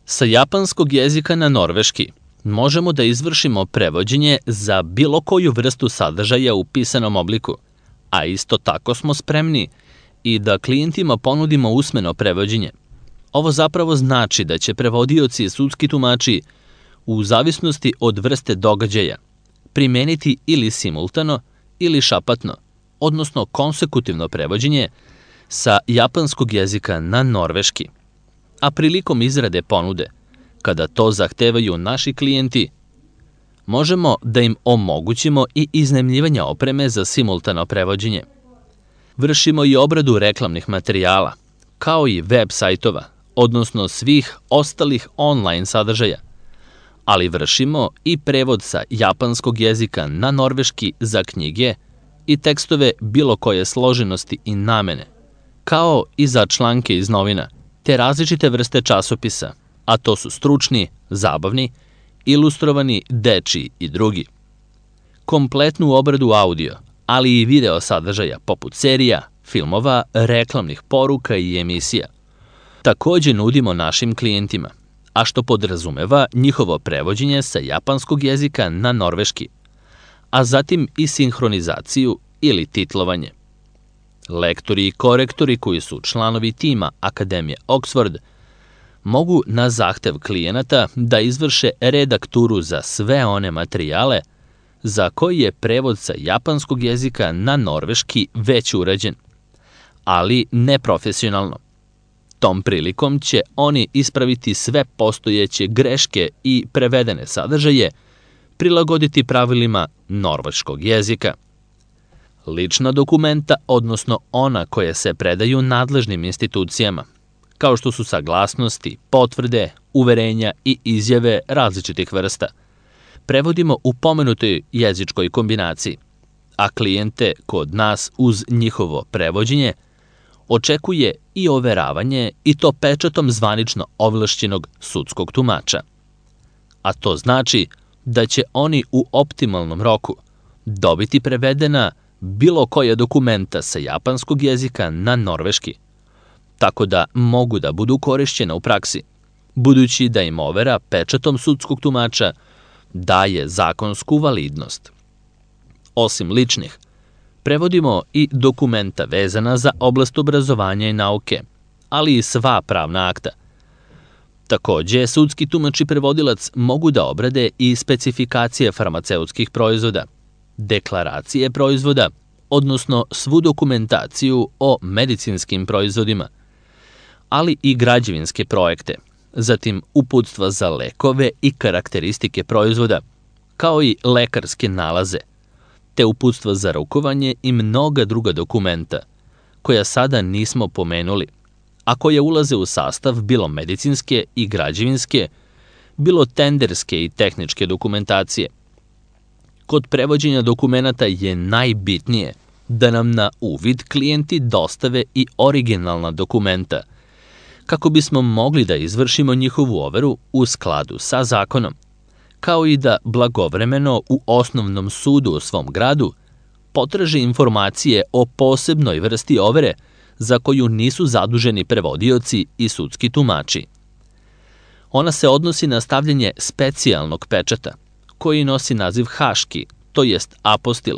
Sa japanskog jezika na norveški možemo da izvršimo prevođenje za bilo koju vrstu sadržaja u pisanom obliku, a isto tako smo spremni i da klijentima ponudimo usmeno prevođenje. Ovo zapravo znači da će prevodioci i sudski tumači, u zavisnosti od vrste događaja, primeniti ili simultano ili šapatno, odnosno konsekutivno prevođenje sa japanskog jezika na norveški. A prilikom izrade ponude, kada to zahtevaju naši klijenti, možemo da im omogućimo i iznajmljivanje opreme za simultano prevođenje. Vršimo i obradu reklamnih materijala, kao i web sajtova, odnosno svih ostalih online sadržaja, ali vršimo i prevod sa japanskog jezika na norveški za knjige i tekstove bilo koje složenosti i namene, kao i za članke iz novina, te različite vrste časopisa, a to su stručni, zabavni, ilustrovani, dečiji i drugi. Kompletnu obradu audio, ali i video sadržaja poput serija, filmova, reklamnih poruka i emisija. Takođe nudimo našim klijentima, a što podrazumeva njihovo prevođenje sa japanskog jezika na norveški, a zatim i sinhronizaciju ili titlovanje. Lektori i korektori koji su članovi tima Akademije Oxford mogu na zahtev klijenata da izvrše redakturu za sve one materijale za koji je prevod sa japanskog jezika na norveški već urađen, ali neprofesionalno. Tom prilikom će oni ispraviti sve postojeće greške i prevedene sadržaje, prilagoditi pravilima norveškog jezika. Lična dokumenta, odnosno ona koje se predaju nadležnim institucijama, kao što su saglasnosti, potvrde, uverenja i izjave različitih vrsta, prevodimo u pomenutoj jezičkoj kombinaciji, a klijente kod nas uz njihovo prevođenje očekuje i overavanje i to pečatom zvanično ovlašćenog sudskog tumača. A to znači da će oni u optimalnom roku dobiti prevedena bilo koja dokumenta sa japanskog jezika na norveški, tako da mogu da budu korišćena u praksi, budući da im overa pečatom sudskog tumača daje zakonsku validnost. Osim ličnih, prevodimo i dokumenta vezana za oblast obrazovanja i nauke, ali i sva pravna akta. Takođe, sudski tumač i prevodilac mogu da obrade i specifikacije farmaceutskih proizvoda, deklaracije proizvoda, odnosno svu dokumentaciju o medicinskim proizvodima, ali i građevinske projekte, zatim uputstva za lekove i karakteristike proizvoda, kao i lekarske nalaze, te uputstva za rukovanje i mnoga druga dokumenta, koja sada nismo pomenuli, a koje ulaze u sastav bilo medicinske i građevinske, bilo tenderske i tehničke dokumentacije. Kod prevođenja dokumenata je najbitnije da nam na uvid klijenti dostave i originalna dokumenta, kako bismo mogli da izvršimo njihovu overu u skladu sa zakonom, kao i da blagovremeno u osnovnom sudu u svom gradu potraže informacije o posebnoj vrsti overe za koju nisu zaduženi prevodioci i sudski tumači. Ona se odnosi na stavljanje specijalnog pečata, koji nosi naziv haški, to jest apostil,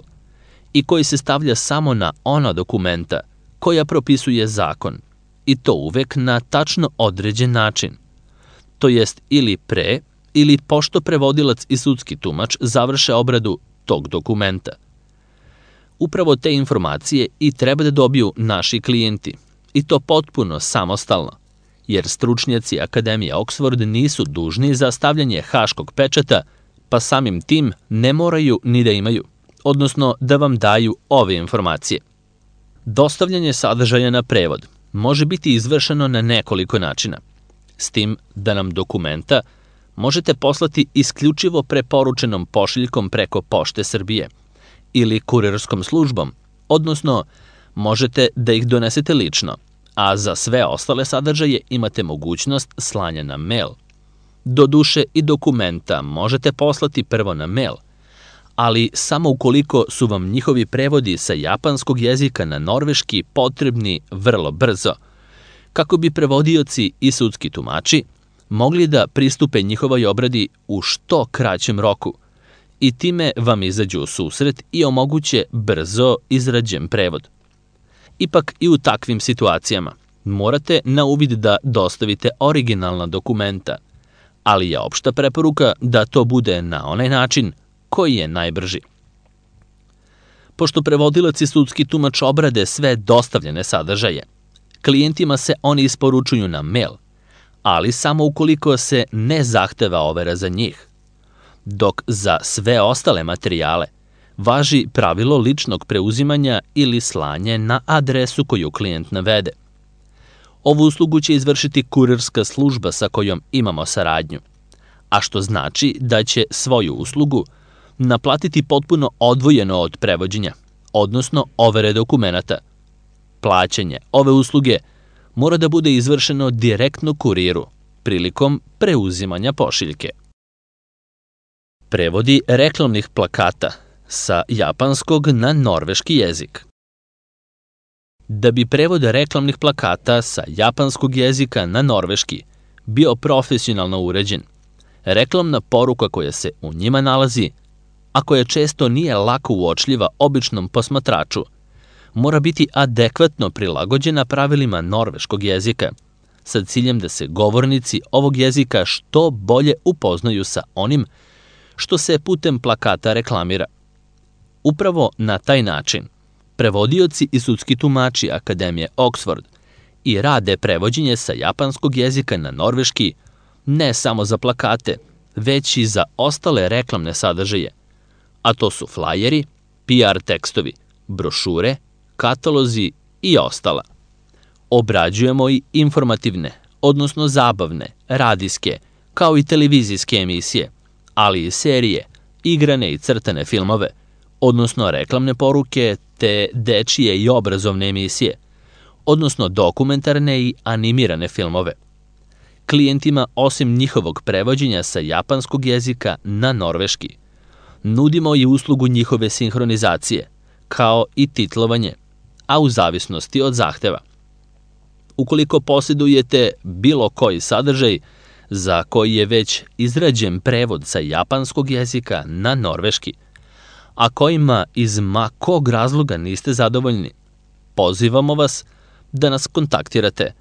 i koji se stavlja samo na ona dokumenta koja propisuje zakon, i to uvek na tačno određen način, to jest ili pre ili pošto prevodilac i sudski tumač završe obradu tog dokumenta. Upravo te informacije i treba da dobiju naši klijenti, i to potpuno samostalno, jer stručnjaci Akademije Oxford nisu dužni za stavljanje haškog pečata, pa samim tim ne moraju ni da imaju, odnosno da vam daju ove informacije. Dostavljanje sadržaja na prevod može biti izvršeno na nekoliko načina, s tim da nam dokumenta možete poslati isključivo preporučenom pošiljkom preko Pošte Srbije ili kurirskom službom, odnosno možete da ih donesete lično, a za sve ostale sadržaje imate mogućnost slanja na mail. Doduše i dokumenta možete poslati prvo na mail, ali samo ukoliko su vam njihovi prevodi sa japanskog jezika na norveški potrebni vrlo brzo, kako bi prevodioci i sudski tumači mogli da pristupe njihovoj obradi u što kraćem roku i time vam izađu u susret i omoguće brzo izrađen prevod. Ipak i u takvim situacijama morate na uvid da dostavite originalna dokumenta, ali je opšta preporuka da to bude na onaj način koji je najbrži. Pošto prevodilac i sudski tumač obrade sve dostavljene sadržaje, klijentima se oni isporučuju na mail, ali samo ukoliko se ne zahteva overa za njih, dok za sve ostale materijale važi pravilo ličnog preuzimanja ili slanje na adresu koju klijent navede. Ovu uslugu će izvršiti kurirska služba sa kojom imamo saradnju, a što znači da će svoju uslugu naplatiti potpuno odvojeno od prevođenja, odnosno overe dokumenata. Plaćanje ove usluge mora da bude izvršeno direktno kuriru prilikom preuzimanja pošiljke. Prevodi reklamnih plakata sa japanskog na norveški jezik. Da bi prevod reklamnih plakata sa japanskog jezika na norveški bio profesionalno uređen, reklamna poruka koja se u njima nalazi, a koja često nije lako uočljiva običnom posmatraču, mora biti adekvatno prilagođena pravilima norveškog jezika, sa ciljem da se govornici ovog jezika što bolje upoznaju sa onim što se putem plakata reklamira. Upravo na taj način, prevodioci i sudski tumači Akademije Oxford i rade prevođenje sa japanskog jezika na norveški ne samo za plakate, već i za ostale reklamne sadržaje, a to su flajeri, PR tekstovi, brošure, katalozi i ostala. Obrađujemo i informativne, odnosno zabavne, radijske, kao i televizijske emisije, ali i serije, igrane i crtane filmove, odnosno reklamne poruke te dečije i obrazovne emisije, odnosno dokumentarne i animirane filmove. Klijentima, osim njihovog prevođenja sa japanskog jezika na norveški, nudimo i uslugu njihove sinhronizacije, kao i titlovanje, a u zavisnosti od zahteva. Ukoliko posjedujete bilo koji sadržaj za koji je već izrađen prevod sa japanskog jezika na norveški, a kojima iz ma kog razloga niste zadovoljni, pozivamo vas da nas kontaktirate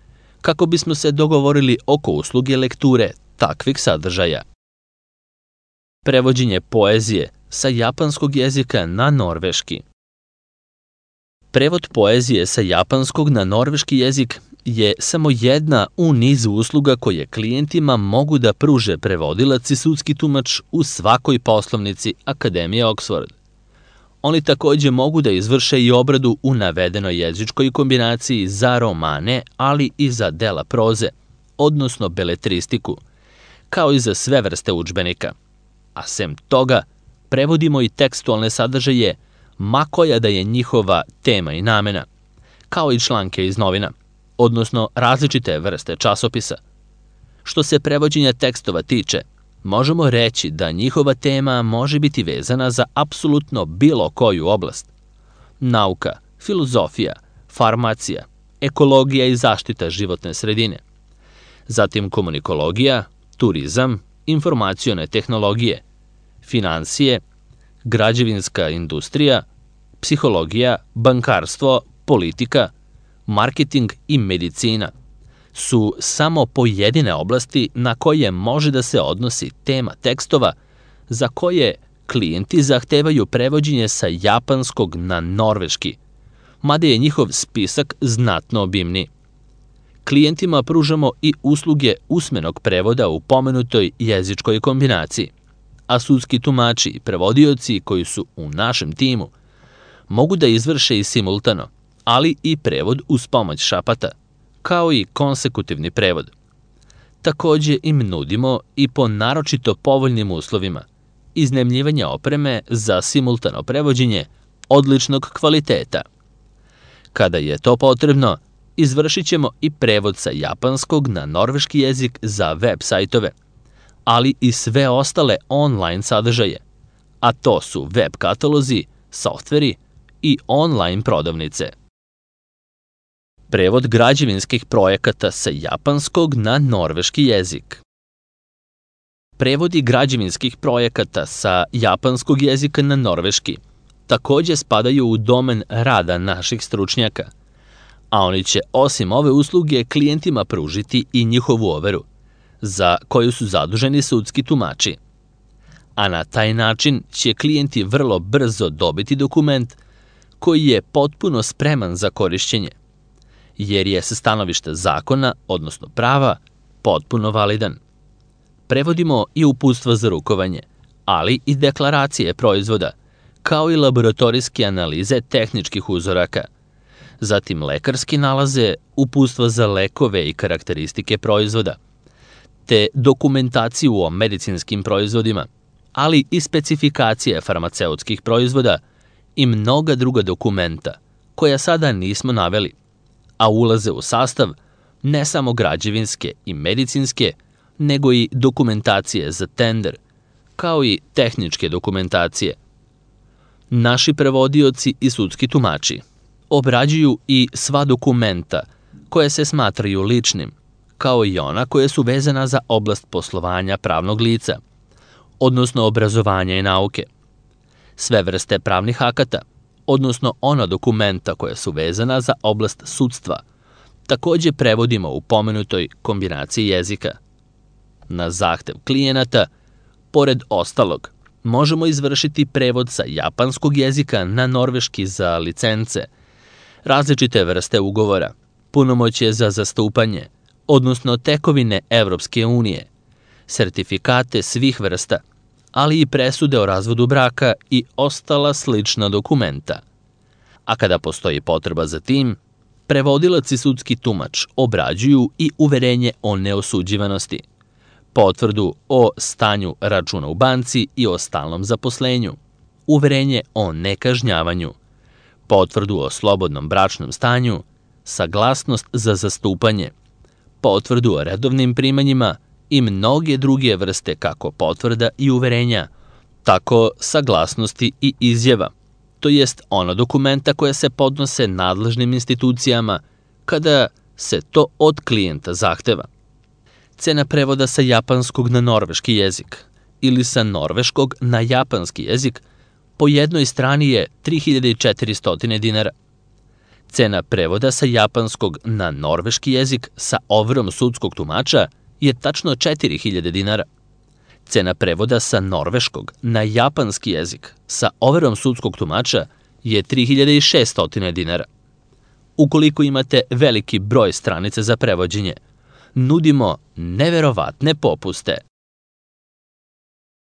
kako bismo se dogovorili oko usluge lekture takvih sadržaja. Prevođenje poezije sa japanskog jezika na norveški. Prevod poezije sa japanskog na norveški jezik je samo jedna u nizu usluga koje klijentima mogu da pruže prevodilac i sudski tumač u svakoj poslovnici Akademije Oxford. Oni takođe mogu da izvrše i obradu u navedenoj jezičkoj kombinaciji za romane, ali i za dela proze, odnosno beletristiku, kao i za sve vrste udžbenika. A sem toga, prevodimo i tekstualne sadržaje, ma koja da je njihova tema i namena, kao i članke iz novina, odnosno različite vrste časopisa. Što se prevođenja tekstova tiče, možemo reći da njihova tema može biti vezana za apsolutno bilo koju oblast. Nauka, filozofija, farmacija, ekologija i zaštita životne sredine. Zatim komunikologija, turizam, informacione tehnologije, finansije, građevinska industrija, psihologija, bankarstvo, politika, marketing i medicina su samo pojedine oblasti na koje može da se odnosi tema tekstova za koje klijenti zahtevaju prevođenje sa japanskog na norveški, mada je njihov spisak znatno obimniji. Klijentima pružamo i usluge usmenog prevoda u pomenutoj jezičkoj kombinaciji, a sudski tumači i prevodioci koji su u našem timu mogu da izvrše i simultano, ali i prevod uz pomoć šapata, kao i konsekutivni prevod. Takođe im nudimo i po naročito povoljnim uslovima iznajmljivanje opreme za simultano prevođenje odličnog kvaliteta. Kada je to potrebno, izvršit ćemo i prevod sa japanskog na norveški jezik za web sajtove, ali i sve ostale online sadržaje, a to su web katalozi, softveri i online prodavnice. Prevod građevinskih projekata sa japanskog na norveški jezik. Prevodi građevinskih projekata sa japanskog jezika na norveški takođe spadaju u domen rada naših stručnjaka, a oni će osim ove usluge klijentima pružiti i njihovu overu, za koju su zaduženi sudski tumači. A na taj način će klijenti vrlo brzo dobiti dokument koji je potpuno spreman za korišćenje, jer je sa stanovišta zakona, odnosno prava, potpuno validan. Prevodimo i uputstva za rukovanje, ali i deklaracije proizvoda, kao i laboratorijske analize tehničkih uzoraka, zatim lekarski nalaze, uputstva za lekove i karakteristike proizvoda, te dokumentaciju o medicinskim proizvodima, ali i specifikacije farmaceutskih proizvoda i mnoga druga dokumenta, koja sada nismo naveli, a ulaze u sastav ne samo građevinske i medicinske, nego i dokumentacije za tender, kao i tehničke dokumentacije. Naši prevodioci i sudski tumači obrađuju i sva dokumenta koje se smatraju ličnim, kao i ona koje su vezana za oblast poslovanja pravnog lica, odnosno obrazovanja i nauke. Sve vrste pravnih akata, odnosno ona dokumenta koja su vezana za oblast sudstva, takođe prevodimo u pomenutoj kombinaciji jezika. Na zahtev klijenata, pored ostalog, možemo izvršiti prevod sa japanskog jezika na norveški za licence, različite vrste ugovora, punomoćje za zastupanje, odnosno tekovine Evropske unije, sertifikate svih vrsta, ali i presude o razvodu braka i ostala slična dokumenta. A kada postoji potreba za tim, prevodilac i sudski tumač obrađuju i uverenje o neosuđivanosti, potvrdu o stanju računa u banci i o stalnom zaposlenju, uverenje o nekažnjavanju, potvrdu o slobodnom bračnom stanju, saglasnost za zastupanje, potvrdu o redovnim primanjima i mnoge druge vrste kako potvrda i uverenja, tako saglasnosti i izjava, to jest ona dokumenta koja se podnose nadležnim institucijama kada se to od klijenta zahteva. Cena prevoda sa japanskog na norveški jezik ili sa norveškog na japanski jezik po jednoj strani je 3400 dinara. Cena prevoda sa japanskog na norveški jezik sa overom sudskog tumača je tačno 4000 dinara. Cena prevoda sa norveškog na japanski jezik sa overom sudskog tumača je 3600 dinara. Ukoliko imate veliki broj stranica za prevođenje, nudimo neverovatne popuste.